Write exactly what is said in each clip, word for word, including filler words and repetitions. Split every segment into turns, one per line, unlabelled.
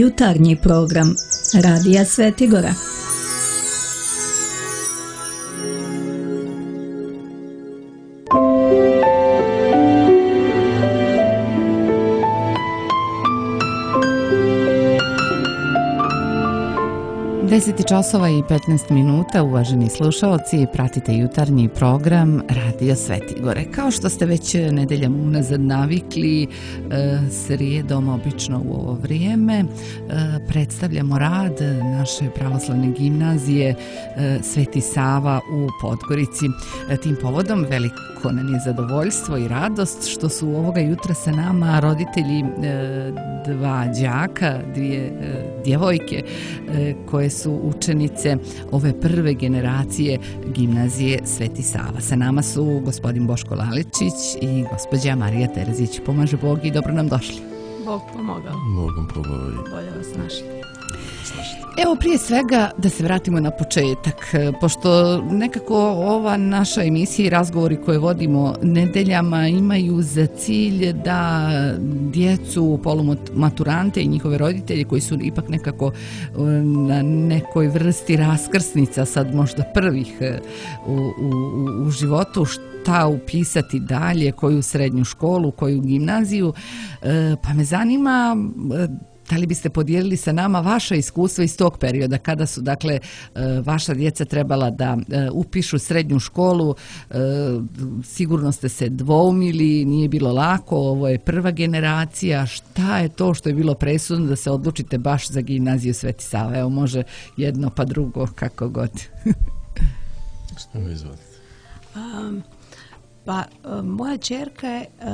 Jutarnji program Radija Svetigora.
deset časova i petnaest minuta, uvaženi slušaoci, pratite jutarnji program Radio Svetigore. Kao što ste već nedeljama unazad navikli, srijedom obično u ovo vrijeme predstavljamo rad naše pravoslavne gimnazije Sveti Sava u Podgorici. Tim povodom veliko nam je zadovoljstvo i radost što su ovoga jutra sa nama roditelji dva đaka, dvije djevojke koje su učenice ove prve generacije gimnazije Sveti Sava. Sa nama su gospodin Boško Laličić i gospođa Marija Terzić. Pomaže Bog i dobro nam došli.
Bog pomogao.
Bogom pomogao.
Bolje vas našli.
Evo, prije svega da se vratimo na početak, pošto nekako ova naša emisija i razgovori koje vodimo nedeljama imaju za cilj da djecu, polumaturante i njihove roditelje koji su ipak nekako na nekoj vrsti raskrsnica, sad možda prvih u, u, u životu, šta upisati dalje, koju srednju školu, koju gimnaziju, pa me zanima da li biste podijelili sa nama vaša iskustva iz tog perioda, kada su, dakle, vaša djeca trebala da upišu srednju školu, sigurno ste se dvoumili, nije bilo lako, ovo je prva generacija, šta je to što je bilo presudno da se odlučite baš za gimnaziju Sveti Sava? Evo, može jedno pa drugo, kako god.
Što mi izvodite?
Um, pa, um, moja ćerka je uh,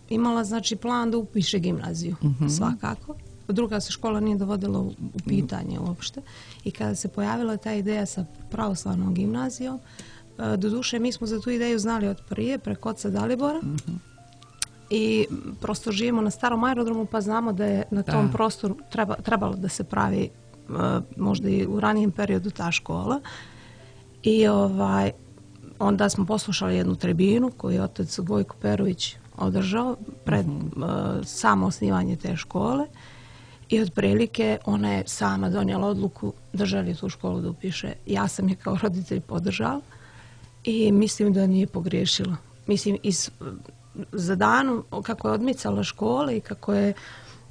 imala, znači, plan da upiše gimnaziju, uh-huh. svakako. Druga se škola nije dovodila u pitanje uopšte. I kada se pojavila ta ideja sa pravoslavnom gimnazijom, doduše mi smo za tu ideju znali od prije, preko oca Dalibora. Mm-hmm. I prosto živimo na starom aerodromu, pa znamo da je na tom da. prostoru treba, trebalo da se pravi možda i u ranijem periodu ta škola. I ovaj, onda smo poslušali jednu tribinu koju je otac Vojko Perović održao pred mm-hmm. uh, samo osnivanje te škole. I otprilike ona je sama donijela odluku da želi tu školu da upiše. Ja sam je kao roditelj podržala i mislim da nije pogriješila. Mislim, iz, za danu kako je odmicala škole i kako je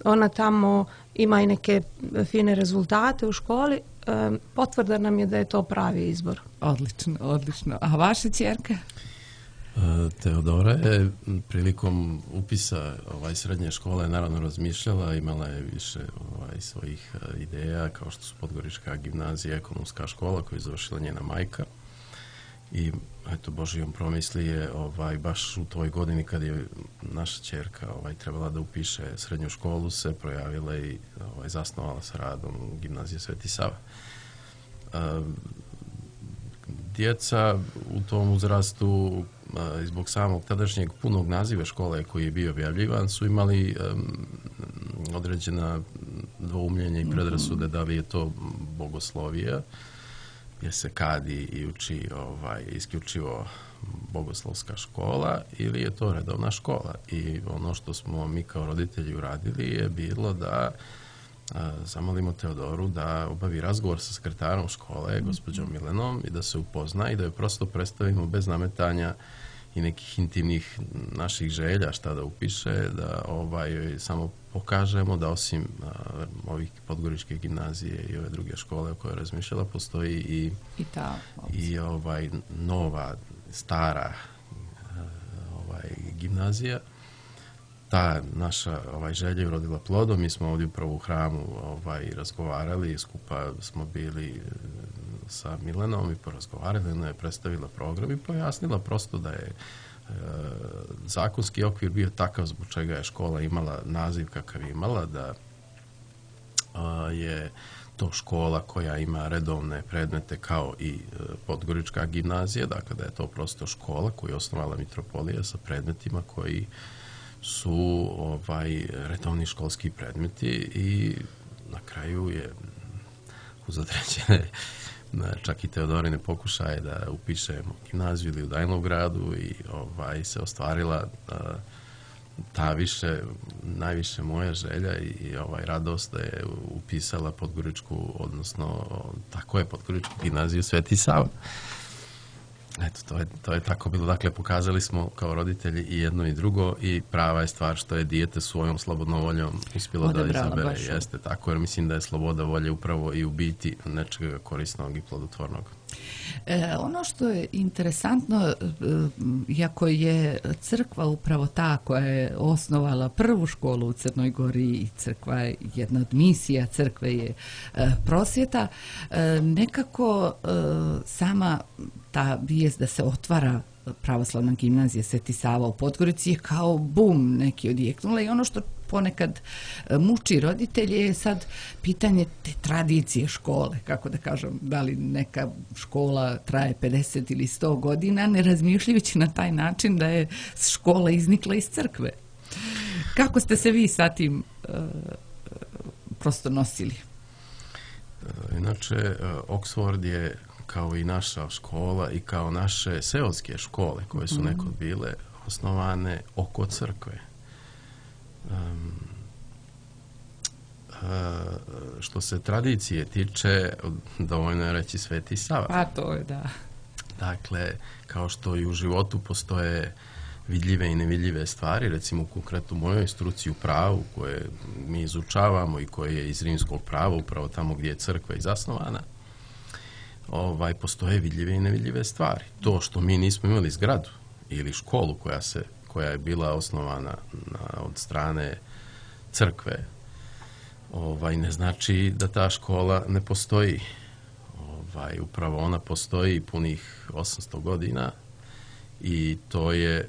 ona tamo ima i neke fine rezultate u školi, um, potvrda nam je da je to pravi izbor.
Odlično, odlično. A vaša ćerka?
Teodora je prilikom upisa ovaj, srednje škole naravno razmišljala, imala je više ovaj, svojih ideja, kao što su Podgorička gimnazija, ekonomska škola koju je završila njena majka. I eto, Božijom promisli je ovaj, baš u toj godini kad je naša ćerka ovaj, trebala da upiše srednju školu, se projavila i ovaj, zasnovala sa radom gimnazije Sveti Sava. Um, djeca u tom uzrastu i zbog samog tadašnjeg punog naziva škole koji je bio objavljivan su imali um, određena dvoumljenja i predrasude da li je to bogoslovija, jer se kadi i uči ovaj, isključivo bogoslovska škola, ili je to redovna škola. I ono što smo mi kao roditelji uradili je bilo da a, zamolimo Teodoru da obavi razgovor sa sekretarom škole, gospođom Milenom, i da se upozna i da je prosto predstavimo bez nametanja i nekih intimnih naših želja šta da upiše, da ovaj, samo pokažemo da osim a, ovih Podgoričke gimnazije i ove druge škole o kojoj je razmišljala, postoji i,
I, ta,
i ovaj, nova, stara ovaj, gimnazija. Ta naša ovaj, želja je urodila plodom. Mi smo ovdje upravo u hramu ovaj, razgovarali, skupa smo bili sa Milenom i porazgovarali, ona je predstavila program i pojasnila prosto da je e, zakonski okvir bio takav zbog čega je škola imala naziv kakav je imala, da a, je to škola koja ima redovne predmete kao i e, Podgorička gimnazija, dakle da je to prosto škola koju je osnovala mitropolija sa predmetima koji su ovaj, redovni školski predmeti i na kraju je uz određene čak i Teodorine pokušaje da upišemo gimnaziju ili u Dajnovgradu i ovaj, se ostvarila a, ta više, najviše moja želja i ovaj radost da je upisala Podgoričku, odnosno tako je Podgoričku gimnaziju Sveti Sava. Eto, to je, to je tako bilo. Dakle, pokazali smo kao roditelji i jedno i drugo i prava je stvar što je dijete svojom slobodnom voljom uspjelo da izabere. Jeste tako, jer mislim da je sloboda volje upravo i u biti nečega korisnog i plodotvornog.
E, ono što je interesantno, iako je crkva upravo ta koja je osnovala prvu školu u Crnoj Gori i crkva je jedna od misija crkve je e, prosvjeta, e, nekako e, sama ta vijest da se otvara pravoslavna gimnazija Sveti Sava u Podgorici je kao bum neki odjeknula i ono što ponekad muči roditelje je sad pitanje te tradicije škole, kako da kažem, da li neka škola traje pedeset ili sto godina, ne razmišljajući na taj način da je škola iznikla iz crkve. Kako ste se vi sa tim uh, prosto nosili?
Inače, Oxford je kao i naša škola i kao naše seoske škole koje su nekod bile osnovane oko crkve. Um, uh, što se tradicije tiče, dovoljno je reći Sveti Sava.
Pa to je, da.
Dakle, kao što i u životu postoje vidljive i nevidljive stvari, recimo konkretno u mojoj struci u pravu koje mi izučavamo i koje je iz rimskog prava, upravo tamo gdje je crkva i zasnovana, ovaj, postoje vidljive i nevidljive stvari. To što mi nismo imali zgradu ili školu koja se koja je bila osnovana na, od strane crkve, ovaj, ne znači da ta škola ne postoji. Ovaj, upravo ona postoji punih osamsto godina i to je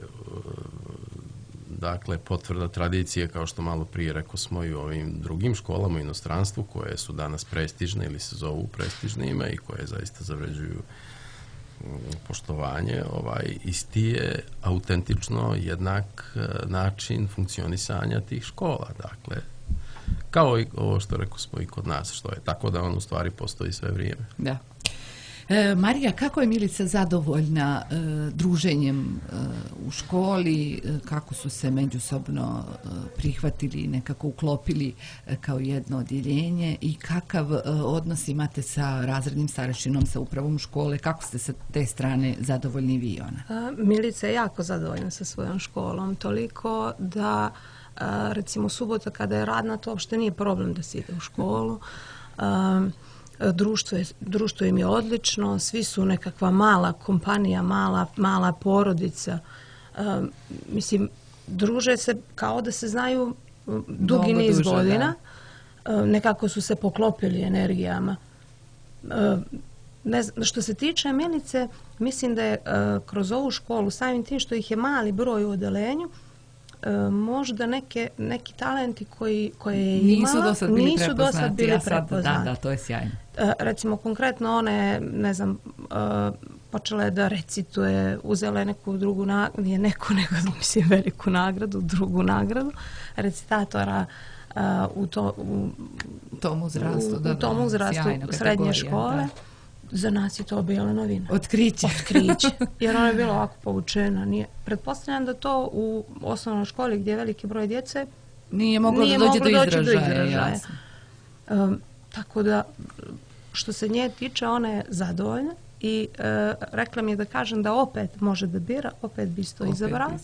dakle potvrda tradicije, kao što malo prije rekao smo i u ovim drugim školama u inostranstvu koje su danas prestižne ili se zovu prestižnima i koje zaista zavređuju poštovanje, ovaj, isti je autentično jednak način funkcionisanja tih škola. Dakle, kao i ovo što rekao smo i kod nas, što je tako da on u stvari postoji sve vrijeme.
Da. E, Marija, kako je Milica zadovoljna e, druženjem e, u školi, e, kako su se međusobno e, prihvatili i nekako uklopili e, kao jedno odjeljenje i kakav e, odnos imate sa razrednim starešinom, sa upravom škole, kako ste sa te strane zadovoljni vi, ona?
A, Milica je jako zadovoljna sa svojom školom, toliko da a, recimo subota kada je radna, to uopšte nije problem da se ide u školu. A, Društvo, je, društvo im je odlično, svi su nekakva mala kompanija, mala, mala porodica. Um, mislim, druže se kao da se znaju dugi niz duže, godina. Um, nekako su se poklopili energijama. Um, ne znam, što se tiče Milice, mislim da je uh, kroz ovu školu, samim tim što ih je mali broj u odelenju, Uh, možda neke, neki talenti koji, koje je
nisu
imala,
do sad bili
nisu do sad bili
ja sad,
prepoznati.
Da, da, to je sjajno.
Uh, recimo, konkretno one, ne znam, uh, počela je da recituje, uzela je neku drugu nagradu, nije neku, nego mislim veliku nagradu, drugu nagradu, recitatora uh, u, to, u,
tom uzrastu,
u,
da,
u tom uzrastu srednje škole. Da. Za nas je to bila novina.
Otkriće.
Otkriće. Jer ona je bila ovako povučena. Nije. Pretpostavljam da to u osnovnoj školi gdje je veliki broj djece
nije moglo
nije
da dođe
moglo
do
doći
izražaja.
Do izražaja. Um, tako da, što se nje tiče, ona je zadovoljna i uh, rekla mi je da kažem da opet može da bira, opet bi isto izabrala.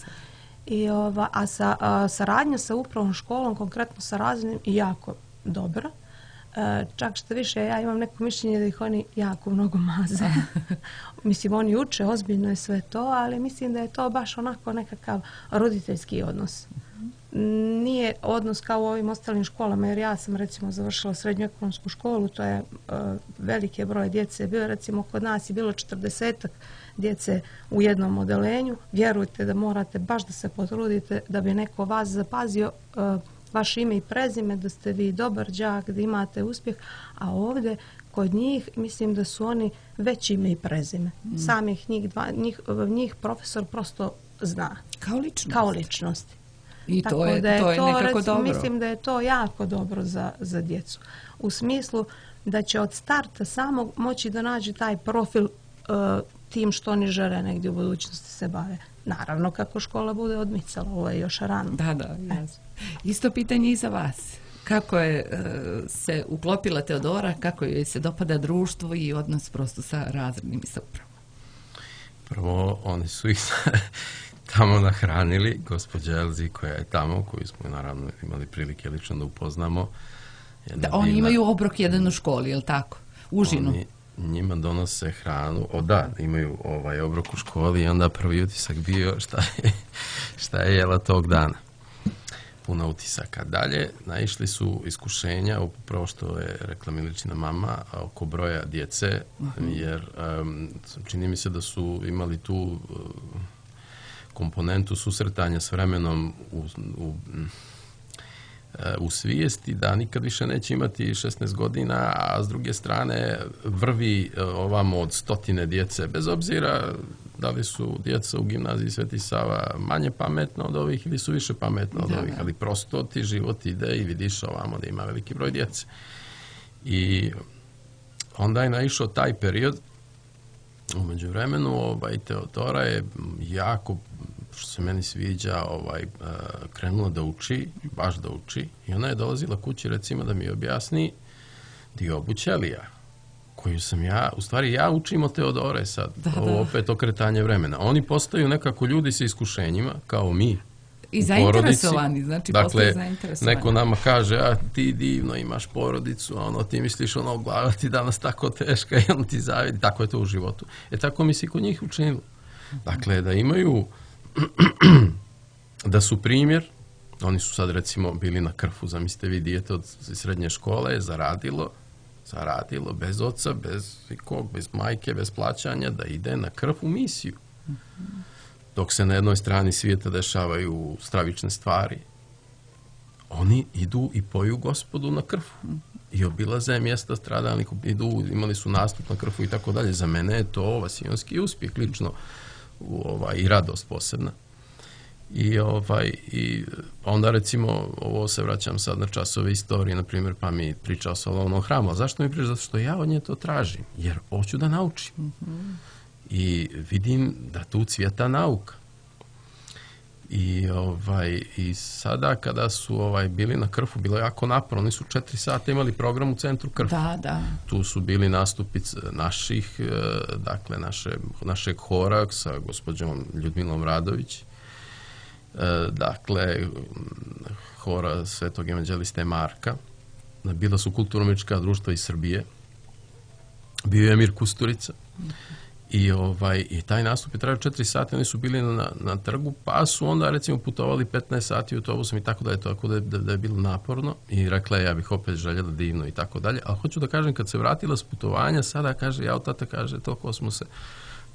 I, ova, a sa, a, saradnja sa upravom školom, konkretno sa razrednim, je jako dobra. Uh, čak što više, ja imam neko mišljenje da ih oni jako mnogo maze. Mislim, oni uče, ozbiljno je sve to, ali mislim da je to baš onako nekakav roditeljski odnos. Mm-hmm. Nije odnos kao u ovim ostalim školama, jer ja sam recimo završila srednju ekonomsku školu, to je uh, velike broj djece. Bilo recimo kod nas je bilo četrdesetak djece u jednom odelenju. Vjerujte da morate baš da se potrudite da bi neko vas zapazio, uh, vaše ime i prezime, da ste vi dobar đak, da imate uspjeh, a ovdje kod njih mislim da su oni već ime i prezime. Mm. Samih njih, dva, njih, njih profesor prosto zna.
Kao ličnost.
Kao ličnosti.
I
Tako
to je,
da je
to je
to,
nekako
recimo,
dobro.
Mislim da je to jako dobro za, za djecu. U smislu da će od starta samo moći da nađe taj profil uh, tim što oni žele negdje u budućnosti se bave. naravno kako škola bude odmicala, ovo je još rano.
Da, da, jasno. Isto pitanje i za vas. Kako je uh, se uklopila Teodora, kako joj se dopada društvo i odnos prosto sa razrednim i sa upravom?
Prvo, oni su ih tamo nahranili, gospođa Elzi koja je tamo, koju smo naravno imali prilike lično da upoznamo.
Da, oni divna... imaju obrok jedan u školi, je li tako? Užinu.
Oni njima donose hranu, o da, imaju ovaj obrok u školi i onda prvi utisak bio šta je, šta je jela tog dana. Puno utisaka. Dalje, naišli su iskušenja, upravo što je rekla Miličina mama, oko broja djece, uh-huh. jer um, čini mi se da su imali tu uh, komponentu susretanja s vremenom u, u, u svijesti da nikad više neće imati šesnaest godina, a s druge strane vrvi ovamo od stotine djece, bez obzira da li su djeca u gimnaziji Sveti Sava manje pametna od ovih ili su više pametna od da, ovih, ali prosto ti život ide i vidiš ovamo da ima veliki broj djece. I onda je naišao taj period, u međuvremenu ovaj, Teodora je jako, što se meni sviđa, ovaj, krenula da uči, baš da uči, i ona je dolazila kući recimo da mi objasni diobu ćelija, koju sam ja, u stvari ja učim od Teodore sad, da, ovo da. Opet okretanje vremena. Oni postaju nekako ljudi sa iskušenjima, kao mi.
I zainteresovani, znači
dakle,
postaju zainteresovani.
Neko nama kaže, a ti divno imaš porodicu, a ono ti misliš, ono, glava ti danas tako teška i ono ti zavidi, tako je to u životu. E tako mi se kod njih učinilo. Dakle, da imaju, da su primjer, oni su sad recimo bili na Krfu, zamislite vi, dijete od srednje škole je zaradilo, zaradilo bez oca, bez ikog, bez majke, bez plaćanja, da ide na Krf u misiju. Dok se na jednoj strani svijeta dešavaju stravične stvari, oni idu i poju Gospodu na Krfu i obilaze mjesta stradalnih, idu, imali su nastup na Krfu i tako dalje. Za mene je to vasijonski uspjeh lično, ovaj, i radost posebna. I, ovaj, i onda recimo, ovo se vraćam sad na časove istorije, na primjer, pa mi priča o Solomonovom hramu. A zašto mi priča? Zato što ja od nje to tražim, jer hoću da naučim. Mm-hmm. I vidim da tu cvjeta nauka. I, ovaj, i sada kada su ovaj, bili na Krfu, bilo je jako naporno. Oni su četiri sata imali program u centru Krfu.
Da, da.
Tu su bili nastupi naših, dakle, naše, našeg hora sa gospođom Ljudmilom Radović. Dakle, hora Svetog evanđeliste Marka. Bila su kulturno-umjetnička društva iz Srbije. Bio je Emir Kusturica. I, ovaj, i taj nastup je trajao četiri sata, oni su bili na, na trgu, pa su onda recimo putovali petnaest sati autobusom i tako dalje, tako da je, da, da je bilo naporno. I rekla je, ja bih opet željela divno i tako dalje. Ali hoću da kažem, kad se vratila s putovanja, sada kaže, ja od tata kaže, toliko smo se,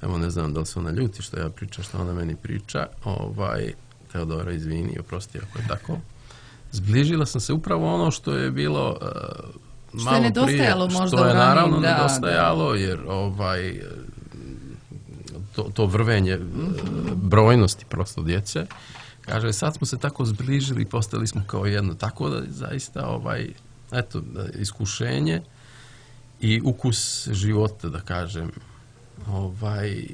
evo ne znam da li se ona ljuti što ja pričam, što ona meni priča, ovaj, Teodora, izvini, oprosti ako je tako. Zbližila sam se upravo ono što je bilo uh, malo
što je nedostajalo
prije,
možda
što je naravno
da,
nedostajalo,
da.
jer ovaj, to, to vrvenje mm-hmm. brojnosti prosto djece. Kaže, sad smo se tako zbližili i postali smo kao jedno. Tako da zaista ovaj, eto, iskušenje i ukus života, da kažem, ovaj,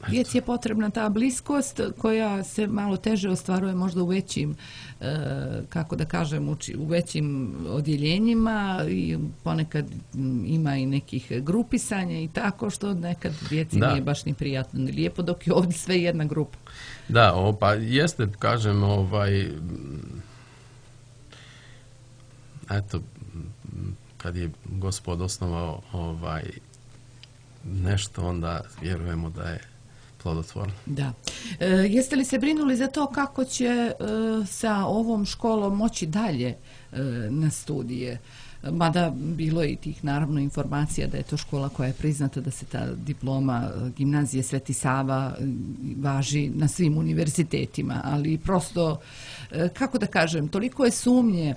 djeci je potrebna ta bliskost koja se malo teže ostvaruje možda u većim, e, kako da kažem, u, u većim odjeljenjima i ponekad ima i nekih grupisanja i tako što nekad djeci da. Nije baš ni prijatno ni lijepo, dok je ovdje sve jedna grupa.
Da, o, pa jeste, kažem, ovaj, eto, kad je Gospod osnovao ovaj, nešto, onda vjerujemo da je plodotvorno.
Da. E, jeste li se brinuli za to kako će e, sa ovom školom moći dalje e, na studije? Mada bilo je i tih naravno informacija da je to škola koja je priznata, da se ta diploma gimnazije Sveti Sava važi na svim univerzitetima, ali prosto, kako da kažem, toliko je sumnje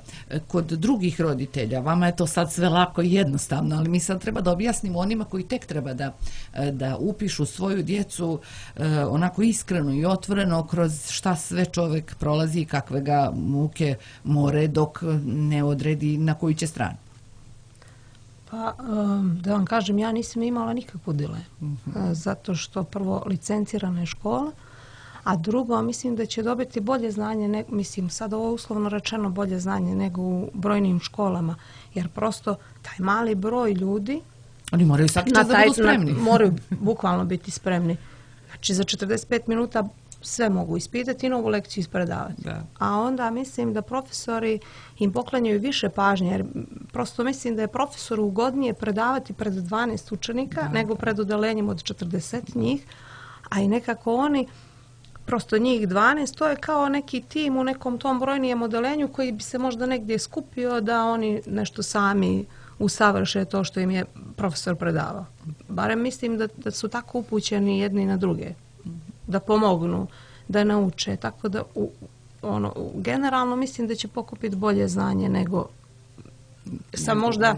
kod drugih roditelja. Vama je to sad sve lako i jednostavno, ali mi sad treba da objasnimo onima koji tek treba da, da upišu svoju djecu onako iskreno i otvoreno kroz šta sve čovjek prolazi i kakve ga muke more dok ne odredi na koju će stranu.
Pa, da vam kažem, ja nisam imala nikakvu dilemu. Mm-hmm. Zato što prvo licencirana je škola, a drugo, mislim da će dobiti bolje znanje, ne, mislim sad ovo uslovno rečeno bolje znanje nego u brojnim školama, jer prosto taj mali broj ljudi
oni moraju svaki čas da budu spremni.
Na, moraju bukvalno biti spremni. Znači za četrdeset pet minuta sve mogu ispitati i novu lekciju ispredavati.
Da.
A onda mislim da profesori im poklanjaju više pažnje, jer prosto mislim da je profesoru ugodnije predavati pred dvanaest učenika da. nego pred odelenjem od četrdeset njih, a i nekako oni, prosto njih dvanaest, to je kao neki tim u nekom tom brojnijem odelenju koji bi se možda negdje skupio da oni nešto sami usavrše to što im je profesor predavao. Barem mislim da, da su tako upućeni jedni na druge, da pomognu, da nauče. Tako da u, ono, generalno mislim da će pokupiti bolje znanje nego sa možda,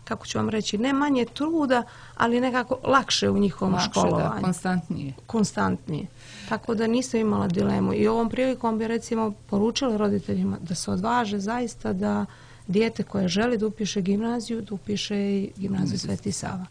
kako ću vam reći, ne manje truda, ali nekako lakše u njihovom lakše, školovanju.
Da, konstantnije.
Konstantnije. Tako da nisam imala dilemu. I ovom prilikom bi recimo poručila roditeljima da se odvaže zaista da dijete koje želi da upiše gimnaziju, da upiše i gimnaziju Sveti Sava.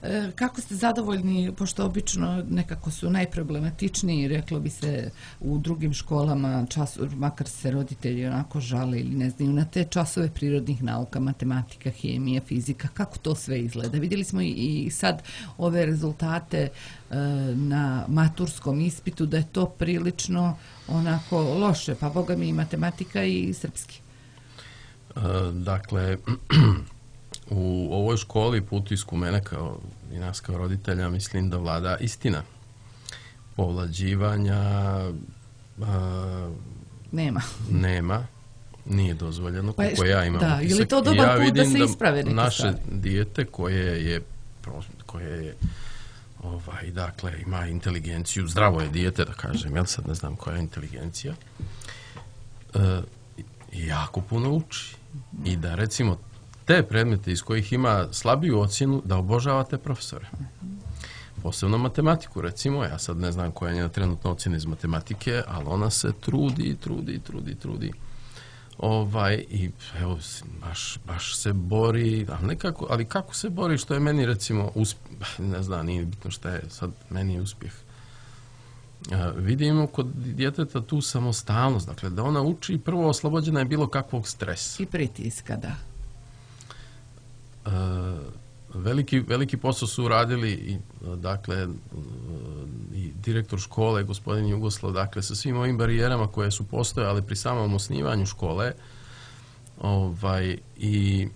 E, kako ste zadovoljni, pošto obično nekako su najproblematičniji, reklo bi se u drugim školama, čas, makar se roditelji onako žale ili ne znaju, na te časove prirodnih nauka, matematika, hemija, fizika, kako to sve izgleda? Vidjeli smo i, i sad ove rezultate e, na maturskom ispitu, da je to prilično onako loše, pa boga mi i matematika i srpski.
Dakle, u ovoj školi po utisku mene kao i nas kao roditelja mislim da vlada istina. Povlađivanja a,
nema.
Nema. Nije dozvoljeno, kako pa ja imam
da,
utisak.
Ili to dobar
ja
put da se
da
isprave neke
naše
stvari?
dijete koje je, koje je ovaj, dakle, ima inteligenciju, zdravo je dijete, da kažem, ja sad ne znam koja je inteligencija, e, jako puno uči. I da recimo te predmete iz kojih ima slabiju ocjenu da obožava te profesore. Posebno matematiku recimo, ja sad ne znam koja je njena trenutna ocjena iz matematike, ali ona se trudi, trudi, trudi, trudi. Ovaj, i evo, baš, baš se bori, ali, nekako, ali kako se bori, što je meni recimo uspjeh, ne znam, nije bitno šta je sad meni uspjeh. Uh, vidimo kod djeteta tu samostalnost, dakle da ona uči prvo oslobođena je bilo kakvog stresa.
I pritiska, da.
Uh, veliki, veliki posao su uradili i, dakle, uh, i direktor škole, gospodin Jugoslav, dakle sa svim ovim barijerama koje su postojale pri samom osnivanju škole. Ovaj, i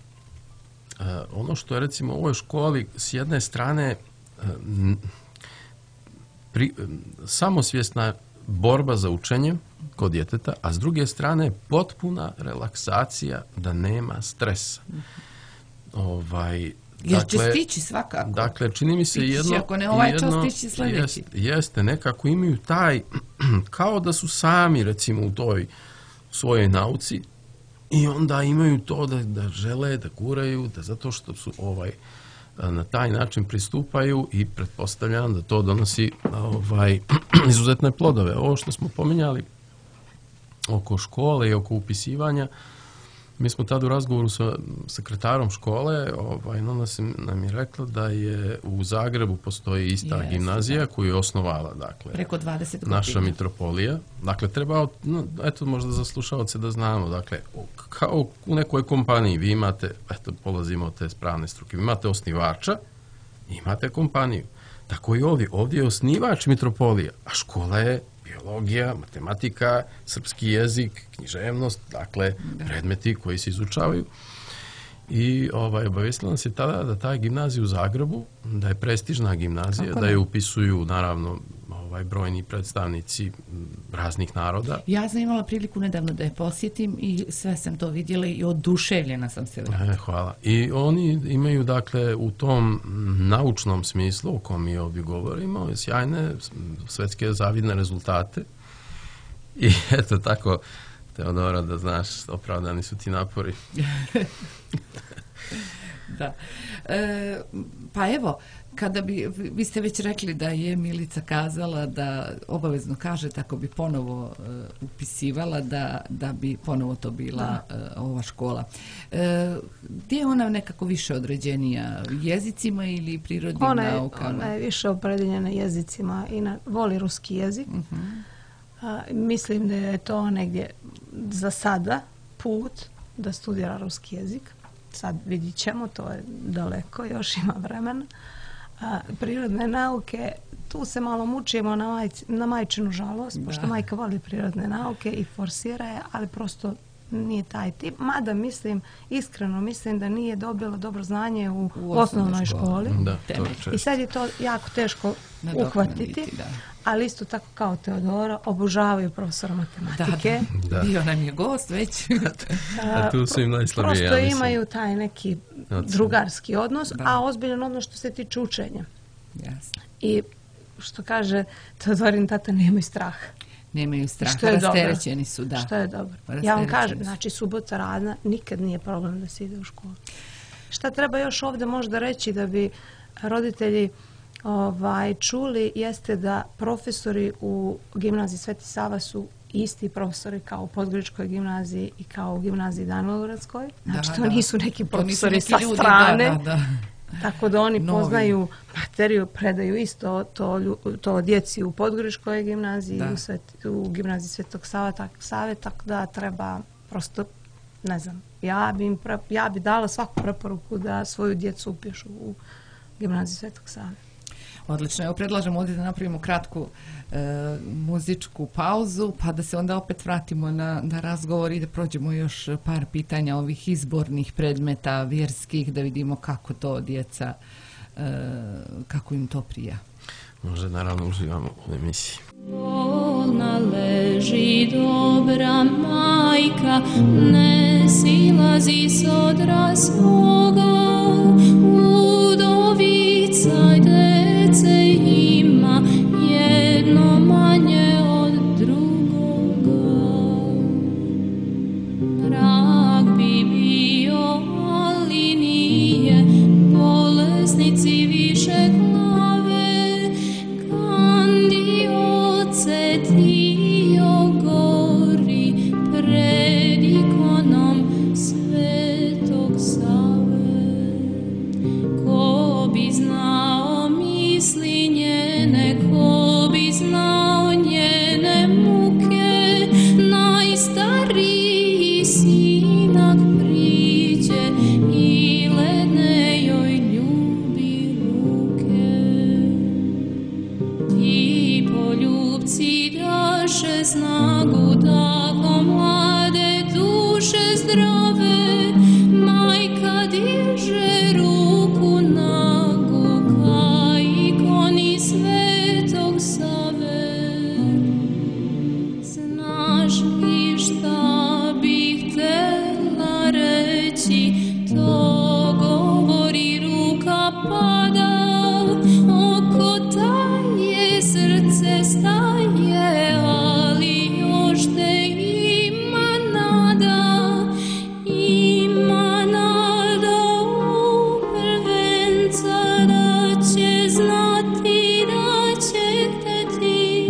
uh, ono što je recimo u ovoj školi s jedne strane uh, Pri, samosvjesna borba za učenje kod djeteta, a s druge strane potpuna relaksacija da nema stresa. Ovaj,
jer
dakle,
će stići svakako.
Dakle, čini mi se
stići,
jedno...
ako ne ovaj
jedno,
čas, stići sljedeći.
Jest, jeste, nekako imaju taj, kao da su sami, recimo, u toj svojoj nauci i onda imaju to da, da žele, da guraju, da zato što su ovaj... na taj način pristupaju i pretpostavljam da to donosi ovaj, izuzetne plodove. Ovo što smo pominjali oko škole i oko upisivanja, mi smo tada u razgovoru sa sekretarom škole, ovaj, ona nam je rekla da je u Zagrebu postoji ista yes, gimnazija da. koju je osnovala, dakle,
preko dvadeset godina.
Naša mitropolija. Dakle, treba, no, eto, možda za slušalce da znamo, dakle, kao u nekoj kompaniji vi imate, eto, polazimo od te spravne struke, vi imate osnivača, imate kompaniju. Tako i ovdje, ovdje je osnivač mitropolija, a škola je biologija, matematika, srpski jezik, književnost, dakle, predmeti koji se izučavaju. I ovaj, obavestila nas je tada da ta gimnazija u Zagrebu, da je prestižna gimnazija, da je upisuju, naravno, ovaj, brojni predstavnici raznih naroda.
Ja sam imala priliku nedavno da je posjetim i sve sam to vidjela i oduševljena sam se vratila.
E, hvala. I oni imaju, dakle, u tom naučnom smislu o kom mi ovdje govorimo, sjajne svetske zavidne rezultate. I eto tako, Teodora, da znaš, opravdani su ti napori.
Da. E, pa evo, kada bi, vi ste već rekli da je Milica kazala da obavezno kaže tako bi ponovo uh, upisivala da, da bi ponovo to bila uh, ova škola. E, gdje je ona nekako više određenija? Jezicima ili prirodnim
ona je,
naukama?
Ona je više opredeljena jezicima i na, voli ruski jezik. Uh-huh. A, mislim da je to negdje za sada put da studira ruski jezik. Sad vidit ćemo, to je daleko, još ima vremena. A, prirodne nauke, tu se malo mučimo na, maj, na majčinu žalost, da. Pošto majka voli prirodne nauke i forsira je, ali prosto nije taj tip. Mada mislim, iskreno mislim da nije dobila dobro znanje u, u osnovnoj školi.
Da, to
I sad je to jako teško uhvatiti. Da. Ali isto tako kao Teodora, obožavaju profesora matematike.
Da, da. Bio nam je gost već.
A tu su im najslabije,
Prosto
ja
imaju taj neki drugarski odnos, da. A ozbiljan odnos što se tiče učenja.
Jasno.
I što kaže Teodorin tata, nemaju straha.
Nemaju straha, rasterećeni su, da.
Što je dobro. Ja vam kažem, znači subota radna, nikad nije problem da se ide u školu. Šta treba još ovdje možda reći da bi roditelji ovaj, čuli, jeste da profesori u gimnaziji Sveti Sava su isti profesori kao u Podgoričkoj gimnaziji i kao u gimnaziji Danilogradskoj. Znači, da, to
da.
nisu neki profesori
nisu neki
sa
ljudi,
strane.
Da, da, da.
Tako da oni
Novi.
Poznaju materiju, predaju isto to, to djeci u Podgoričkoj gimnaziji i u, Svet, u gimnaziji Svetog Save, tak, Save, tako da treba prosto, ne znam, ja bi, im pre, ja bi dala svaku preporuku da svoju djecu upišu u gimnaziju Svetog Save.
Odlično. Evo predlažem ovdje da napravimo kratku e, muzičku pauzu, pa da se onda opet vratimo na, na razgovor i da prođemo još par pitanja ovih izbornih predmeta vjerskih, da vidimo kako to djeca, e, kako im to prija.
Može, naravno, uživamo u emisiji.
Bolna leži dobra majka, ne silazi s odra svoga, udovica dece ima, jedno manje od drugoga. Rak bi bio, ali nije, bolesnici više glave, kandioce tio gori pred ikonom Svetog Save. Ko bi znao misli njene, ko bi znao njene muke, najstariji sinak priđe i ledne joj ljubi ruke. Ti poljubci daše snagu, tako mlade duše zdrave, majka diže ruku nagu ka ikoni Svetog Save. Znaš li šta bih htjela reći, to govori ruka pada, oko taje srce staje, ali još te ima nada, ima nada u prvenca da će znati, da će hteti.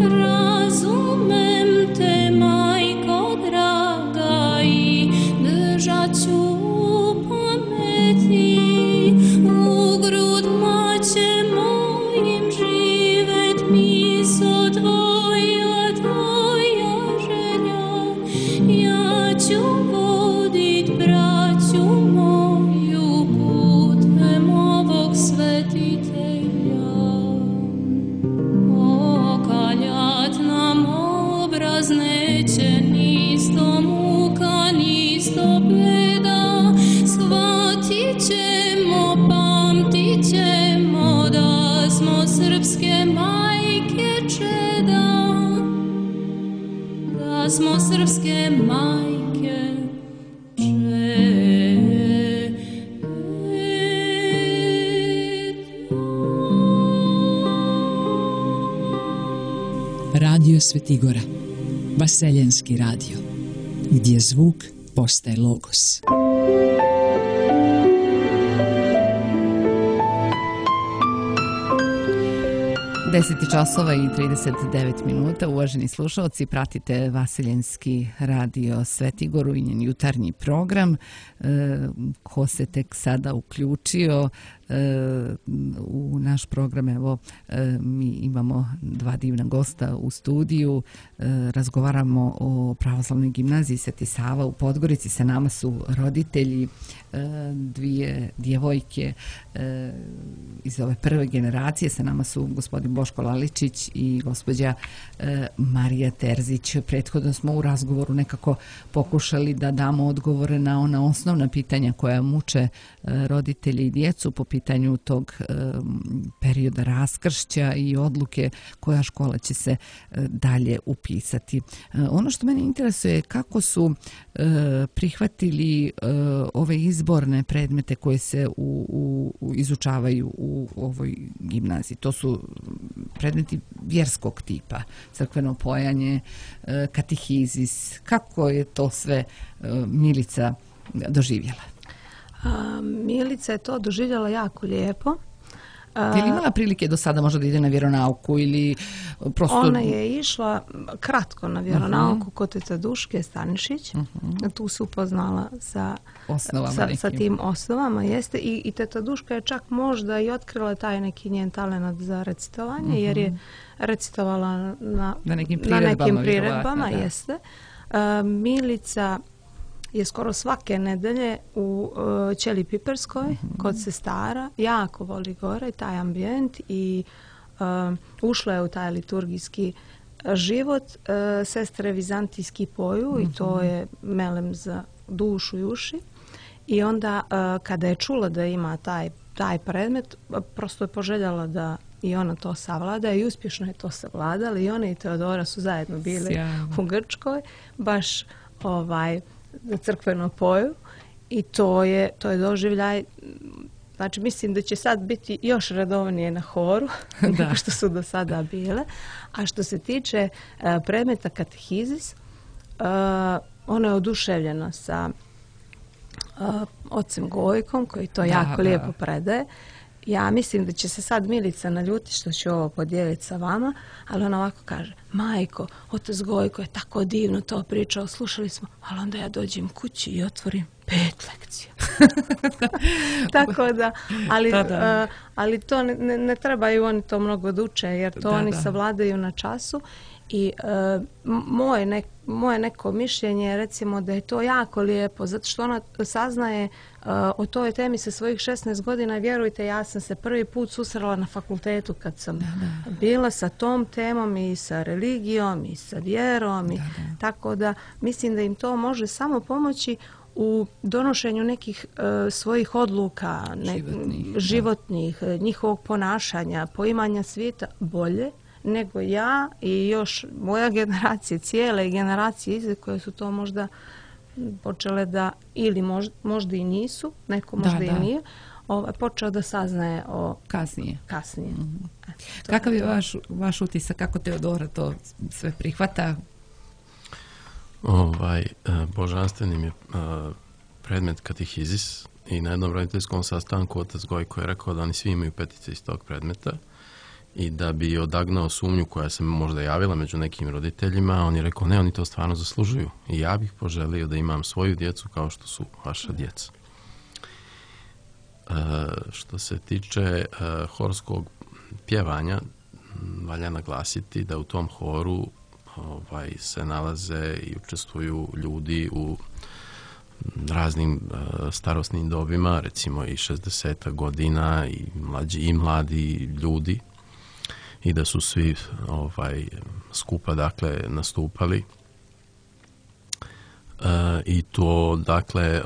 Razumem te, majko draga, i držat ću u pameti. U grudma će mojim živet miso tvoja, tvoja želja. Ja ću vodit braću moju putem ovog svetitelja. Okaljat nam obraz neće, nisto muka, nisto beda. Shvatit ćemo, pamtit ćemo da smo srpske majke čeda, da smo srpske majke
Radio Svetigora, Vaseljenski radio, gdje zvuk postaje logos.
deset časova i trideset devet minuta. Uvaženi slušalci, pratite Vaseljenski radio Svetigoru i njen jutarnji program. E, ko se tek sada uključio, u naš program. Evo, mi imamo dva divna gosta u studiju. Razgovaramo o pravoslavnoj gimnaziji Sveti Sava u Podgorici. Sa nama su roditelji, dvije djevojke iz ove prve generacije. Sa nama su gospodin Boško Laličić i gospođa Marija Terzić. Prethodno smo u razgovoru nekako pokušali da damo odgovore na ona osnovna pitanja koja muče roditelje i djecu po pitanju tog perioda raskršća i odluke koja škola će se dalje upisati. Ono što mene interesuje je kako su prihvatili ove izborne predmete koje se u, u, u izučavaju u ovoj gimnaziji. To su predmeti vjerskog tipa, crkveno pojanje, katehizis. Kako je to sve Milica doživjela?
A, Milica je to doživjela jako lijepo.
Je li imala prilike do sada možda da ide na vjeronauku ili prosto...
Ona je išla kratko na vjeronauku uh-huh. kod teta Duške Stanišić. Uh-huh. Tu se upoznala sa, sa, sa tim osnovama. Jeste. I, i teta Duška je čak možda i otkrila taj neki njen talent za recitovanje, uh-huh. jer je recitovala na,
na nekim
priredbama. Na nekim priredbama jeste. Uh, Milica je skoro svake nedelje u uh, Ćeliji Piperskoj, mm-hmm. kod sestara, jako voli gore taj ambijent i uh, ušla je u taj liturgijski život. Uh, sestre vizantijski poju mm-hmm. i to je melem za dušu i uši. I onda uh, kada je čula da ima taj, taj predmet, prosto je poželjala da i ona to savlada i uspješno je to savladala i ona i Teodora su zajedno bile Sjajno. u Grčkoj, baš ovaj za crkveno poju i to je, to je doživljaj. Znači mislim da će sad biti još redovnije na horu nego što su do sada bile. A što se tiče uh, predmeta katehizis, uh, ona je oduševljena sa uh, ocem Gojkom koji to da, jako da. lijepo predaje. Ja mislim da će se sad Milica naljuti što ću ovo podijeliti sa vama, ali ona ovako kaže, majko, otac Gojko je tako divno to pričao, slušali smo, ali onda ja dođem kući i otvorim pet lekcija. Tako da, ali, da, da. Uh, ali to ne, ne, ne trebaju oni to mnogo da uče, jer to da, oni da. savladaju na času. I uh, moje, ne, moje neko mišljenje je recimo da je to jako lijepo, zato što ona saznaje uh, o toj temi sa svojih šesnaest godina. Vjerujte, ja sam se prvi put susrela na fakultetu kad sam da, da. bila sa tom temom i sa religijom i sa vjerom. I, da, da. Tako da mislim da im to može samo pomoći u donošenju nekih uh, svojih odluka, ne, životnih, životnih njihovog ponašanja, poimanja svijeta bolje nego ja i još moja generacija, cijele generacije iza koje su to možda počele da, ili možda, možda i nisu, neko možda da, i da. nije, ovaj, počeo da saznaje o
kasnije.
kasnije.
Mm-hmm. E, Kakav je vaš, vaš utisak, kako Teodora to sve prihvata?
Ovaj, božanstvenim je predmet katehizis i na jednom roditeljskom sastanku otac Gojko je rekao da oni svi imaju petice iz tog predmeta. I da bi odagnao sumnju koja se možda javila među nekim roditeljima, on je rekao, ne, oni to stvarno zaslužuju. I ja bih poželio da imam svoju djecu kao što su vaša djeca. E, što se tiče e, horskog pjevanja, valja naglasiti da u tom horu ovaj, se nalaze i učestvuju ljudi u raznim e, starosnim dobima, recimo i šezdeset godina, i mlađi i mladi ljudi. I da su svi ovaj, skupa dakle nastupali. E, I to dakle e,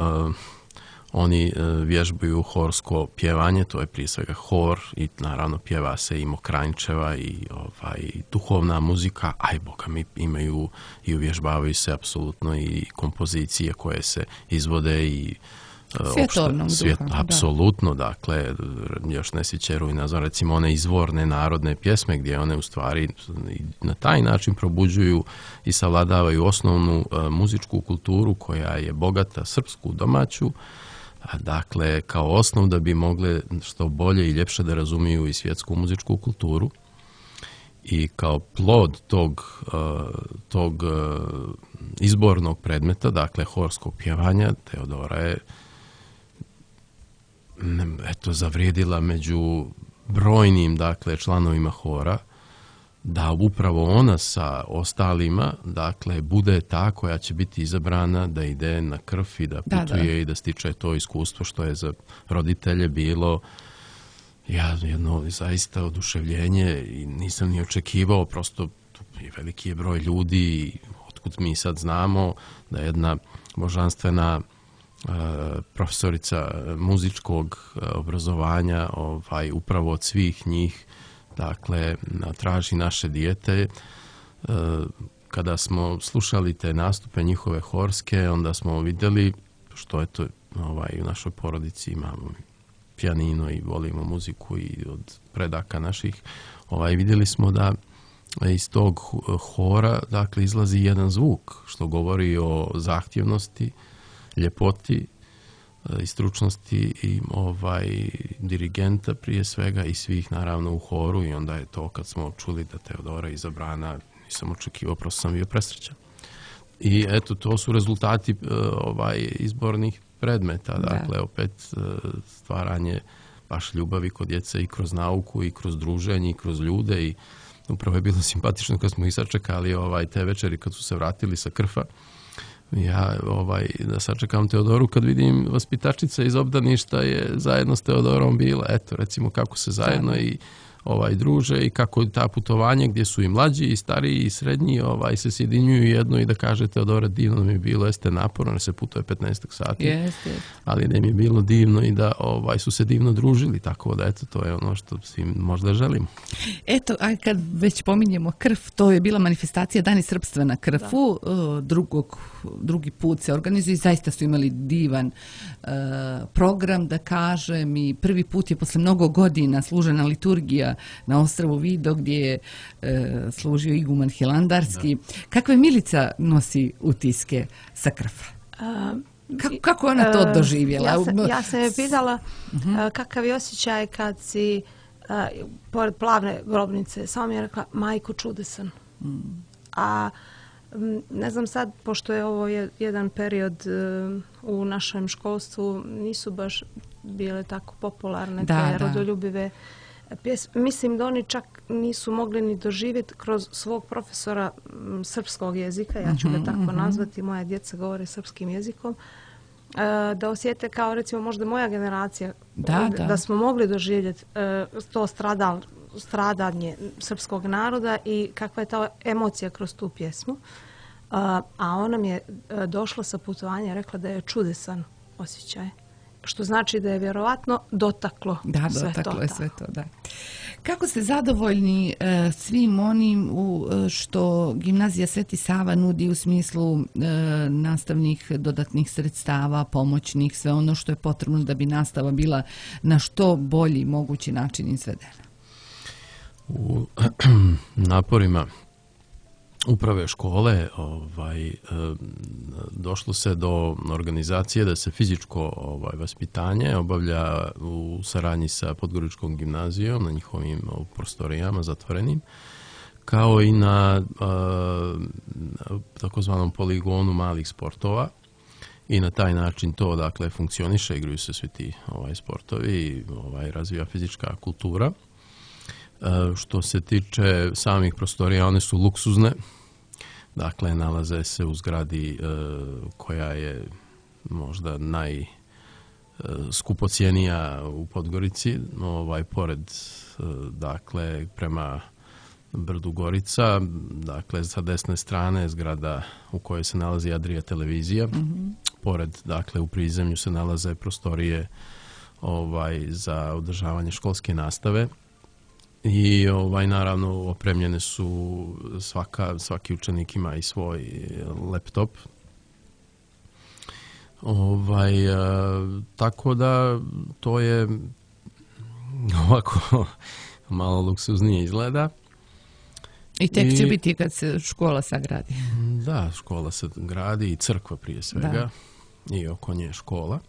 oni e, vježbaju horsko pjevanje, to je prije svega hor i naravno pjeva se i Mokranjčeva i ovaj, duhovna muzika, a i boga mi imaju i uvježbavaju se apsolutno i kompozicije koje se izvode i
svjetovnog
svijet,
duha.
Apsolutno, da. Dakle, još ne svićeru i nazva, recimo one izvorne narodne pjesme gdje one u stvari na taj način probuđuju i savladavaju osnovnu uh, muzičku kulturu koja je bogata, srpsku, domaću, a dakle kao osnov da bi mogle što bolje i ljepše da razumiju i svjetsku muzičku kulturu. I kao plod tog, uh, tog uh, izbornog predmeta, dakle horskog pjevanja, Teodora je eto, zavrijedila među brojnim, dakle, članovima hora, da upravo ona sa ostalima, dakle, bude ta koja će biti izabrana da ide na krv i da putuje da, da. i da stiče to iskustvo što je za roditelje bilo ja, jedno zaista oduševljenje i nisam ni očekivao, prosto veliki je broj ljudi i otkud mi sad znamo da jedna božanstvena uh, profesorica muzičkog uh, obrazovanja ovaj, upravo od svih njih dakle, traži naše dijete. Kada smo slušali te nastupe njihove horske, onda smo vidjeli, što je to ovaj, u našoj porodici imamo pijanino i volimo muziku i od predaka naših, ovaj, vidjeli smo da iz tog hora dakle, izlazi jedan zvuk, što govori o zahtjevnosti, ljepoti i stručnosti i ovaj dirigenta prije svega i svih naravno u horu i onda je to kad smo čuli da Teodora izabrana, nisam očekivao, prosto sam bio presrećan. I eto, to su rezultati ovaj izbornih predmeta, dakle, da. opet stvaranje baš ljubavi kod djece i kroz nauku i kroz druženje i kroz ljude i upravo je bilo simpatično kad smo ih sačekali ovaj, te večeri kad su se vratili sa Krfa. Ja ovaj, da sačekam Teodoru kad vidim vaspitačica iz obdaništa je zajedno s Teodorom bila. Eto, recimo kako se zajedno i ovaj, druže i kako ta putovanje gdje su i mlađi i stariji i srednji ovaj, se sjedinjuju jedno i da kaže Teodora divno mi je bilo, jeste naporno, ne se putuje petnaest sati,
yes, yes.
ali da mi je bilo divno i da ovaj, su se divno družili, tako da eto, to je ono što svim možda želimo.
Eto, a kad već pominjemo Krf, to je bila manifestacija Dani srpstva na Krfu, da. Drugog, drugi put se organizuje i zaista su imali divan uh, program, da kažem, i prvi put je posle mnogo godina služena liturgija na ostrvu Vido gdje je e, služio iguman Hilandarski. Da. Kakve Milica nosi utiske sa Krfa? Uh, kako, kako ona to doživjela?
Ja sam, ja sam je pitala uh-huh. kakav je osjećaj kad si uh, pored plavne grobnice. Samo mi je rekla, majko, čudesan. Mm. A ne znam sad, pošto je ovo jedan period uh, u našem školstvu, nisu baš bile tako popularne
da,
te rodoljubive pjes, mislim da oni čak nisu mogli ni doživjeti kroz svog profesora m, srpskog jezika, ja ću ga tako uh-huh. nazvati, moja djeca govore srpskim jezikom, e, da osjete kao recimo možda moja generacija,
da, da.
da smo mogli doživjeti e, to stradal, stradanje srpskog naroda i kakva je ta emocija kroz tu pjesmu. E, a ona mi je došla sa putovanja i rekla da je čudesan osjećaj. Što znači da je vjerovatno dotaklo
da,
sve
dotaklo
to.
Je sve to, da. Kako ste zadovoljni e, svim onim u, što gimnazija Sveti Sava nudi u smislu e, nastavnih dodatnih sredstava, pomoćnih, sve ono što je potrebno da bi nastava bila na što bolji mogući način izvedena?
U naporima uprave škole ovaj, došlo se do organizacije da se fizičko ovaj, vaspitanje obavlja u saradnji sa Podgoričkom gimnazijom na njihovim prostorijama zatvorenim, kao i na takozvanom poligonu malih sportova. I na taj način to dakle funkcioniše, igraju se svi ti ovaj, sportovi i ovaj, razvija fizička kultura. Što se tiče samih prostorija, one su luksuzne. Dakle, nalaze se u zgradi e, koja je možda najskupocijenija u Podgorici, ovaj, pored, e, dakle, prema brdu Gorica, dakle, sa desne strane zgrada u kojoj se nalazi Adria televizija, mm-hmm. pored, dakle, u prizemlju se nalaze prostorije ovaj, za održavanje školske nastave. I ovaj, naravno opremljene su svaka, svaki učenik ima i svoj laptop. Ovaj, a, tako da to je ovako malo luksuznije izgleda.
I tek I, će biti kad se škola sagradi.
Da, škola se gradi i crkva prije svega. Da. I oko nje škola.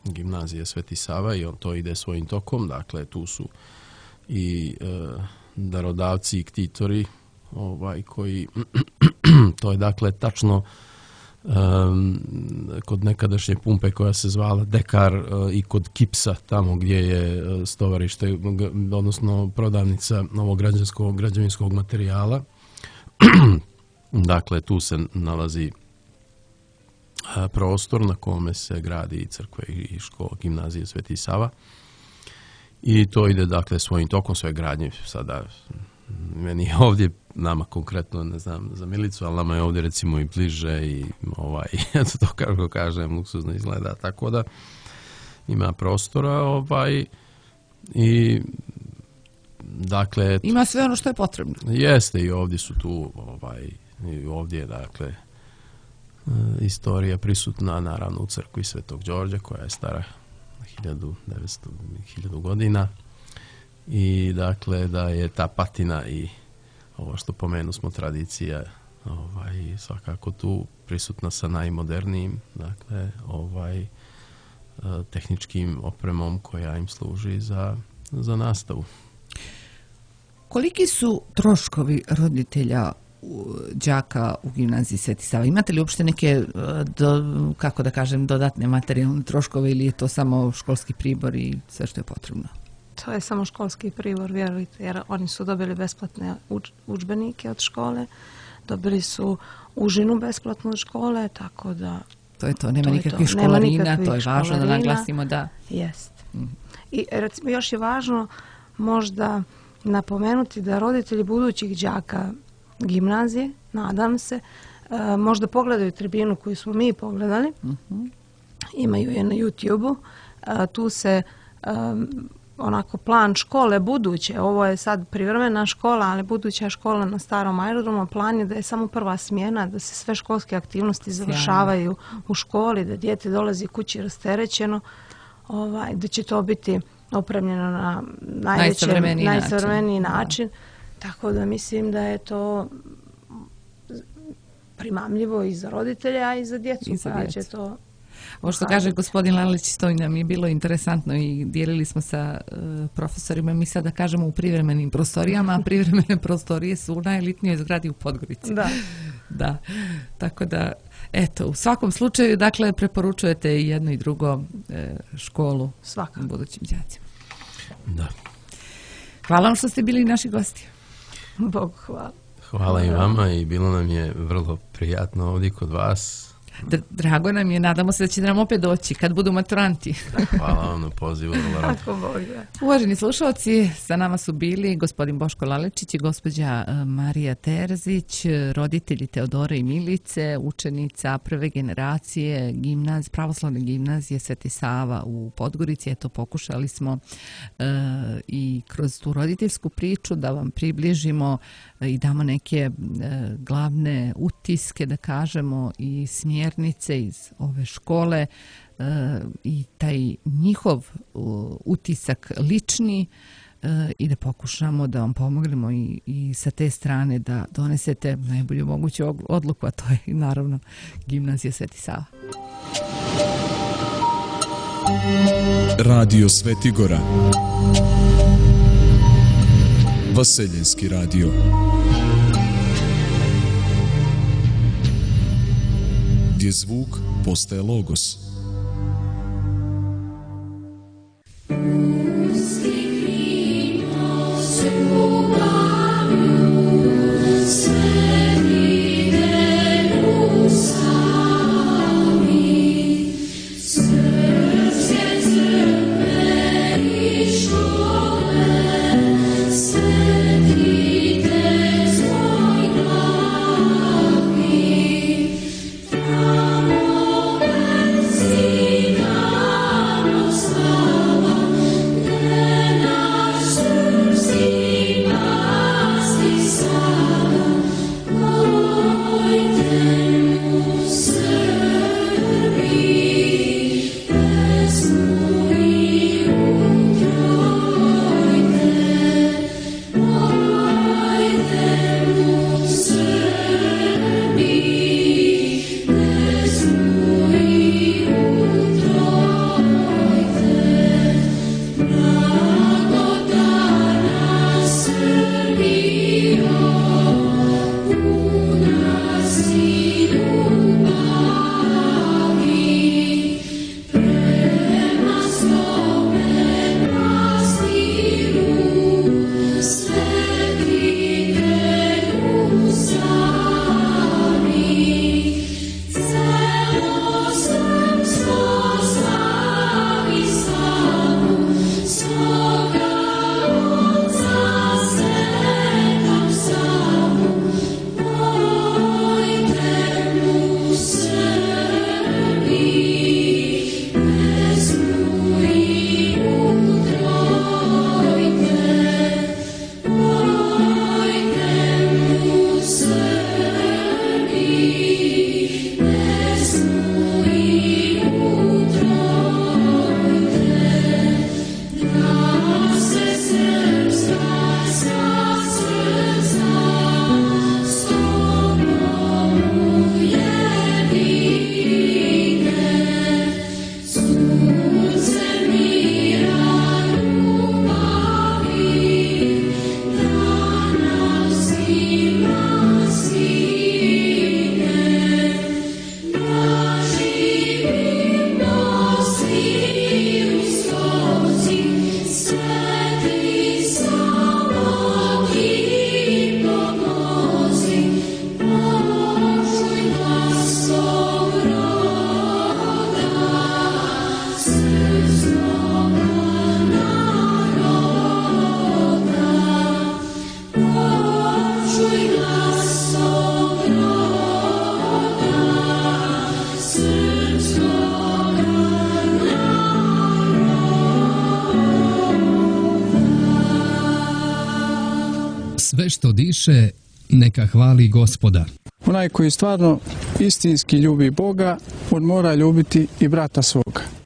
Gimnazija Sveti Sava i on to ide svojim tokom. Dakle, tu su i e, darodavci i ktitori ovaj, koji to je dakle tačno um, kod nekadašnje pumpe koja se zvala Dekar uh, i kod Kipsa, tamo gdje je uh, stovarište, odnosno prodavnica novog građanskog, građevinskog materijala. Dakle, tu se nalazi uh, prostor na kome se gradi i crkva i škola, gimnazije Sveti Sava. I to ide, dakle, svojim tokom, sve gradnje. Sada, meni je ovdje, nama konkretno, ne znam, za Milicu, ali nama je ovdje, recimo, i bliže i, ovaj, eto to kako kažem, luksuzno izgleda. Tako da ima prostora, ovaj, i, dakle...
Ima sve ono što je potrebno.
Jeste, i ovdje su tu, ovaj, i ovdje je, dakle, istorija prisutna, naravno, u crkvi Svetog Đorđa, koja je stara hiljadu devetsto, hiljadu godina, i dakle da je ta patina i ovo što pomenu smo tradicija, ovaj, svakako tu prisutna sa najmodernijim, dakle, ovaj, tehničkim opremom koja im služi za, za nastavu.
Koliki su troškovi roditelja đaka u gimnaziji Sveti Sava? Imate li uopšte neke, do, kako da kažem, dodatne materijalne troškove ili je to samo školski pribor i sve što je potrebno?
To je samo školski pribor, vjerujte, jer oni su dobili besplatne uč, udžbenike od škole, dobili su užinu besplatnu od škole, tako da...
To je to, nema to nikakvih
to.
školarina,
nema
to je važno
školarina.
Da naglasimo da...
Jest. Mm. I recimo još je važno možda napomenuti da roditelji budućih đaka gimnazije, nadam se, uh, možda pogledaju tribinu koju smo mi pogledali, uh-huh. Imaju je na YouTube-u, uh, tu se um, onako plan škole buduće, ovo je sad privremena škola, ali buduća škola na starom aerodromu, plan je da je samo prva smjena, da se sve školske aktivnosti završavaju u školi, da dijete dolazi kući rasterećeno, ovaj, da će to biti opremljeno na najsavremeniji način. način. Tako da mislim da je to primamljivo i za roditelja, a i za djecu.
I za djecu.
Će to...
Ovo što kaže gospodin Lalić, to nam je bilo interesantno i dijelili smo sa uh, profesorima. Mi sada kažemo u privremenim prostorijama, a privremene prostorije su u najelitnijoj zgradi u Podgorici.
Da.
Da. Tako da, eto, u svakom slučaju, dakle, preporučujete i jedno i drugo e, školu
Svakako.
Budućim đacima.
Da.
Hvala vam što ste bili naši gosti.
Bog hvala.
Hvala i vama i bilo nam je vrlo prijatno ovdje kod vas.
Drago nam je, nadamo se da će nam opet doći kad budu maturanti.
Hvala vam na pozivu.
Ako Bog da.
Uvaženi slušalci, sa nama su bili gospodin Boško Lalečić i gospođa Marija Terzić, roditelji Teodore i Milice, učenica prve generacije gimnaz, pravoslavne gimnazije Sveti Sava u Podgorici. Eto, pokušali smo uh, i kroz tu roditeljsku priču da vam približimo i damo neke uh, glavne utiske, da kažemo, i smjernice iz ove škole uh, i taj njihov uh, utisak lični uh, i da pokušamo da vam pomognemo i, i sa te strane da donesete najbolju moguću odluku, a to je naravno gimnazija Sveti Sava.
Radio Svetigora, Vaseljenski radio. Gdje zvuk postaje logos.
Thank you.
Sve što diše, neka hvali Gospoda.
Onaj koji stvarno istinski ljubi Boga, on mora ljubiti i brata svoga.